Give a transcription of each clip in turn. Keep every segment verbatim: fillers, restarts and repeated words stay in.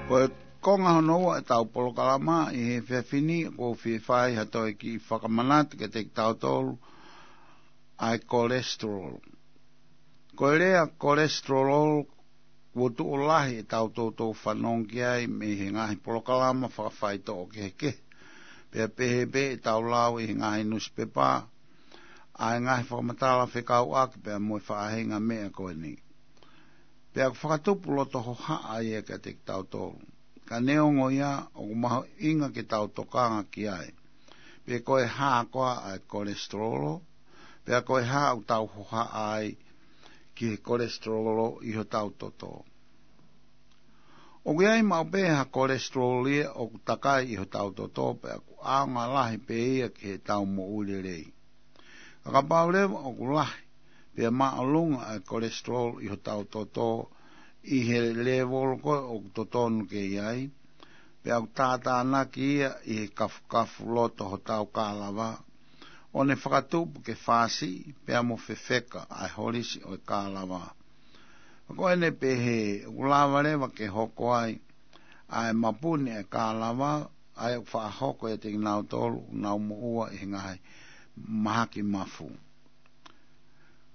Ko e konga hono ua ʻetau polokalama ʻi he efiafi ni, ʻoku ou fie fai ha toe kiʻi fakamanatu kiate kitautolu ʻa e cholesterol. Ko e lea cholesterol, kuo tuʻo lahi ʻetau toutou fanongo ki ai mei he ngaahi polokalama fakafaitoʻo kehekehe. Pea pehē pē ʻetau lau ʻi he ngaahi nusipepa, ʻa e ngaahi fakamatala fekauʻaki pea mo e faʻahinga meʻa ko eni. Pea ʻoku fakatupu loto hohaʻa ia kiate kitautolu. Ka neongo ia, ʻoku mahuʻinga ke tau tokanga ki ai. Pe ko e hā koā ʻa e cholesterol, pea ko e hā ʻoku tau hohaʻa ai ki he cholesterol ʻi hotau toto. ʻOku ʻi ai maʻu pē ha cholesterol ia ʻoku takai ʻi hotau toto, pea ʻoku ʻaonga lahi pē ia ki heʻetau moʻui lelei. Ka kapau leva ʻoku lahi pea māʻolunga ʻa e cholesterol ʻi hotau toto ʻi he lēvolo ko ē ʻoku totonu ke ʻi ai, pea ʻoku tātānaki ia ʻi he kafukafu loto hotau kālava, ʻo ne fakatupu ke fāsiʻi pea mo fefeka ʻa e holisi ʻo e kālava. Ko ʻene pehē, ʻoku lava leva ke hoko ai ʻa e mapuni ʻa e kālava, ʻa ia ʻoku faʻa hoko ʻiate kinautolu ʻoku nau moʻua ʻi he ngaahi mahaki mafu.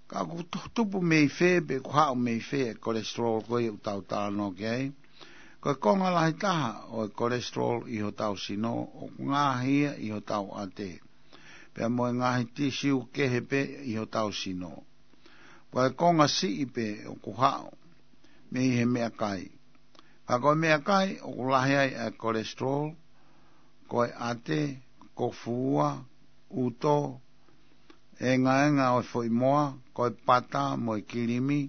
Ka ʻoku to-, tupu mei fē pe ʻoku haʻu mei fē ʻa e cholesterol ko ia ʻoku tau talanoa ki ai? Ko e konga lahi taha ʻo e cholesterol ʻi hotau sino, ʻoku ngaahi ia ʻi hotau ʻate, pea mo e ngaahi tisiu kehe pē ʻi hotau sino. Ko e konga siʻi pē ʻoku haʻu mei he meʻakai. Ka ko e meʻakai ʻoku lahi ai ʻa e cholesterol, ko e ʻate, ko e fua, ʻuto, ʻengaenga ʻo e foʻi moa, ko e pata mo e kilimi,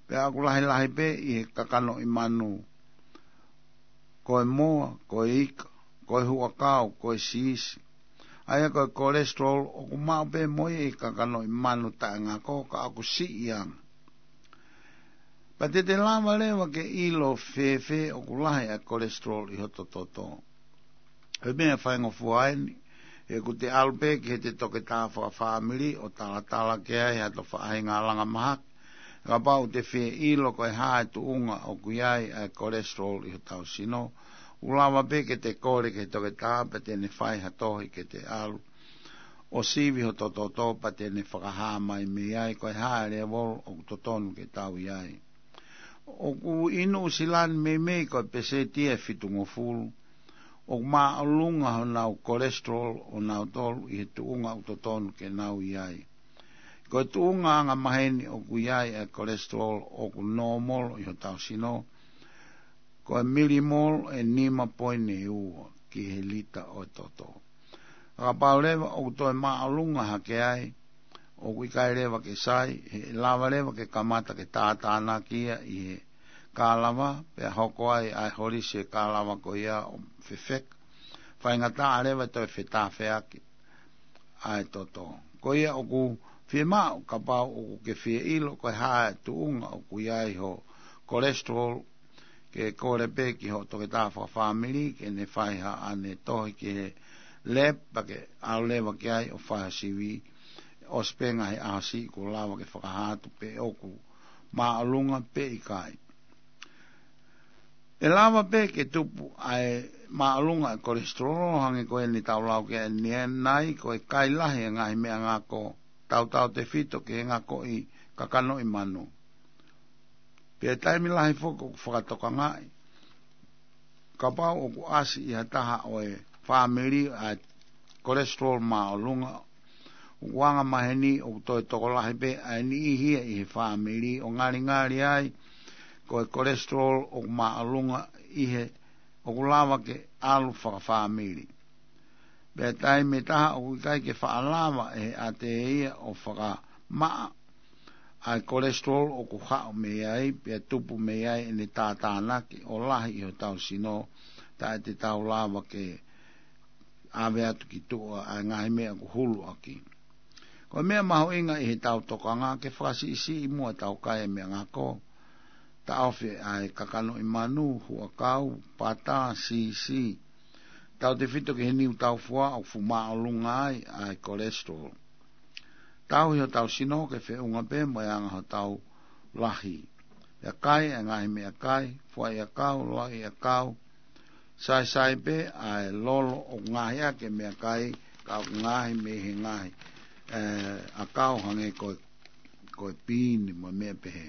pea ʻoku lahilahi pē ʻi he kakanoʻi manu, ko e moa, ko e ika, ko e huʻakau, ko e siisi. ʻA ia ko e cholesterol ʻoku maʻu pē mo ia ʻi he kakanoʻi manu taʻengako, ka ʻoku siʻi ange. Pea te te lava leva ke ʻilo fēfē ʻoku lahi ʻa e cholesterol ʻi hoto toto? Ko e meʻa faingofua eni, he ʻoku te ʻalu pē ki heʻete toketā fakafāmili ʻo talatala ki ai hato faʻahinga langa mahaki. Kapau te fie ʻilo ko e hā e tuʻunga ʻoku ʻi ai ʻa e cholesterol ʻi hotau sino, ʻoku lava pē ke te kole ki he toketā pea te ne fai ha tohi ke te ʻalu ʻo sivi hoto toto pea te ne fakahā mai mei ai ko e hā e lēvolo ʻoku totonu ke tau ʻi ai. ʻOku ʻi Nuʻusila ni meimei ko e peseti ʻe fitungofulu ʻoku māʻolunga honau cholesterol ʻonautolu ʻi he tuʻunga ʻoku totonu ke nau ʻi ai. Ko e tuʻunga angamaheni ʻoku ʻi ai ʻa e cholesterol ʻoku normal ʻi hotau sino, ko e milimol ʻe nima poini ua ki he lita ʻo e toto. Ka kapau leva ʻoku toe māʻolunga hake ai, ʻoku ʻikai leva ke sai, he ʻe lava leva ke kamata ke tātānaki ia ʻi he kālava, pea hoko ai ʻa e holisi e kālava ko ia ʻo fefeka. Faingataʻa leva toe fetāfeaki ʻa e toto. Ko ia ʻoku fiemaʻu kapau ʻoku ke fie ʻilo ko e hā e tuʻunga ʻoku ʻi ai ho cholesterol, ke kole pē ki ho toketā fakafāmili ke ne fai haʻane tohi ki he lab pea ke ʻalu leva ki ai ʻo fai ha sivi, ʻosi pē ngaahi ʻaho siʻi kuo lava ke fakahā atu pe ʻoku māʻolunga pe ʻikai. ʻE lava pē ke tupu ʻa e māʻolunga ʻa e cholesterol, hangē ko eni tau lau ki ai ʻanenai, ko e kai lahi e ngaahi meʻangako, tautautefito ki he ngakoʻi kakanoʻi manu. Pea taimi lahi foki ʻoku fakatokangaʻi, kapau ʻoku ʻasi ʻi ha taha ʻo e fāmili ʻa e cholesterol māʻolunga, ʻoku angamaheni ʻoku toe tokolahi pē ʻa e niʻihi ia ʻi he fāmili, ʻo ngalingali ai ko e cholesterol ʻoku māʻolunga ʻi he ʻoku lava ke ʻalu fakafāmili. Pea taimi ʻe taha ʻoku ʻikai ke faʻa lava ʻe he ʻate ia ʻo fakamaʻa ʻa e cholesterol ʻoku haʻu mei ai, pea tupu mei ai ʻene tātānaki ʻo lahi ʻi hotau sino, taʻe te tau lava ke ʻave atu ki tuʻa ʻa e ngaahi meʻa ʻoku hulu ʻaki. Ko e meʻa mahuʻinga ʻi heʻetau tokanga ke fakasiʻisiʻi muʻa ʻetau kai e meʻangako, taʻofi ʻa e kakanoʻi manu, huʻakau, pata, siisi, tautefito ki he niu taufua ʻoku fuʻu māʻolunga ai ʻa e cholesterol. Tauhi hotau sino ke feʻunga pē mo e anga hotau lahi. ʻIa kai ʻa e ngaahi meʻakai, fuaʻi ʻakau, lauʻi ʻakau, saisai pē ʻa e lolo ʻoku ngaohi ʻaki e meʻakai, ka ʻoku ngaohi mei he ngaahi, ē, ʻakau hangē ko e, ko e pīni mo e meʻa pehē.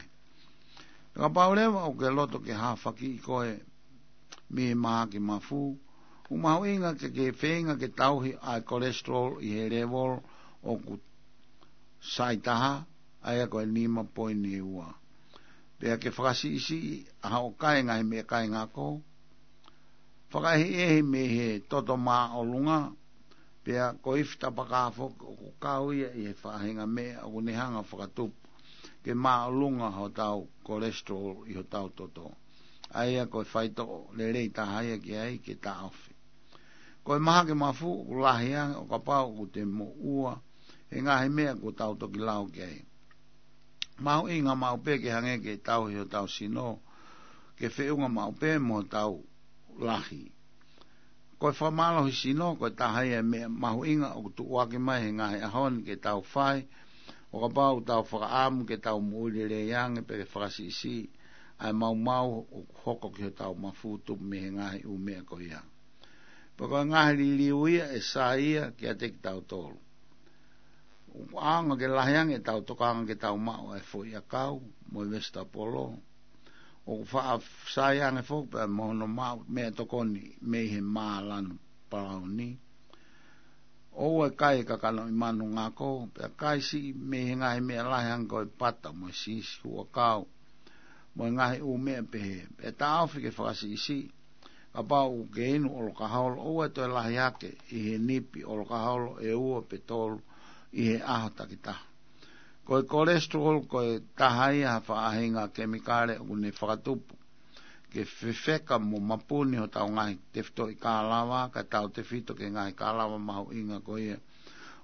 Kapau leva ʻoku ke loto ke hafakiʻi koe mei he mahaki mafu, ʻoku mahuʻinga ke ke feinga ke tauhi ʻa e cholesterol ʻi he level ʻoku sai taha, ʻa ia ko e nima poini ua. Pea ke fakasiʻisiʻi ʻa hoʻo kai e ngaahi meʻakai ngako, fakaʻehiʻehi mei he toto māʻolunga, pea ko e ifi tapaka foki ʻoku kau ia ʻi he faʻahinga meʻa ʻoku ne hanga ʻo fakatupu ke māʻolunga hotau cholesterol ʻi hotau toto. ʻA ia ko e faitoʻo lelei taha ia ki ai ke taʻofi. Ko e mahaki mafu ʻoku lahi ange ʻo kapau ʻoku te moʻua he ngaahi meʻa ʻoku tau toki lau ki ai. Mahuʻinga maʻu pē ke hangē ke tauhi hotau sino, ke feʻunga maʻu pē mo hotau lahi. Ko e fakamālohi sino, ko e taha ia e meʻa mahuʻinga ʻoku tuʻuaki mai he ngaahi ʻaho ni ke tau fai, ʻo kapau ʻoku tau fakaʻamu ke tau moʻui lelei ange pea ke fakasiʻisiʻi ʻa e maumau ʻoku hoko ki hotau mafu tupu mei he ngaahi ʻū meʻa ko ia. Pea ko e ngaahi liliu ia ʻe sai ia kiate kitautolu. ʻOku ʻaonga ke lahi ange ʻetau tokanga ke tau maʻu ʻa e fuaʻi ʻakau mo e vesitapolo. ʻOku faʻa sai ange foki pea mo hono maʻu meʻatokoni mei he mā lanu palauni. ʻOua ʻe kai e kakanoʻi manu ngako, pea kai siʻi mei he ngaahi meʻa lahi hangē ko e pata mo e siisi, huʻakau mo e ngaahi ʻū meʻa pehē. Pea taʻofi ke fakasiʻisiʻi, kapau ʻoku ke inu ʻolokaholo, ʻoua ʻe toe lahi hake ʻi he nipi ʻolokaholo ʻe ua pe tolu ʻi he ʻaho takitaha. Ko e cholesterol ko e taha ia ha faʻahinga kemikale ʻoku ne fakatupu ke fefeka mo mapuni hotau ngaahi tefitoʻi kālava, kae tautefito ki he ngaahi kālava mahuʻinga ko ia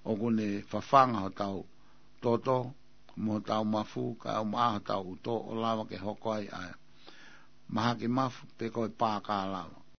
ʻoku ne fafanga hotau toto mo hotau mafu, kae ʻumaʻā hotau ʻuto, ʻo lava ke hoko ai ʻa e mahaki mafu pe ko e pā kālava.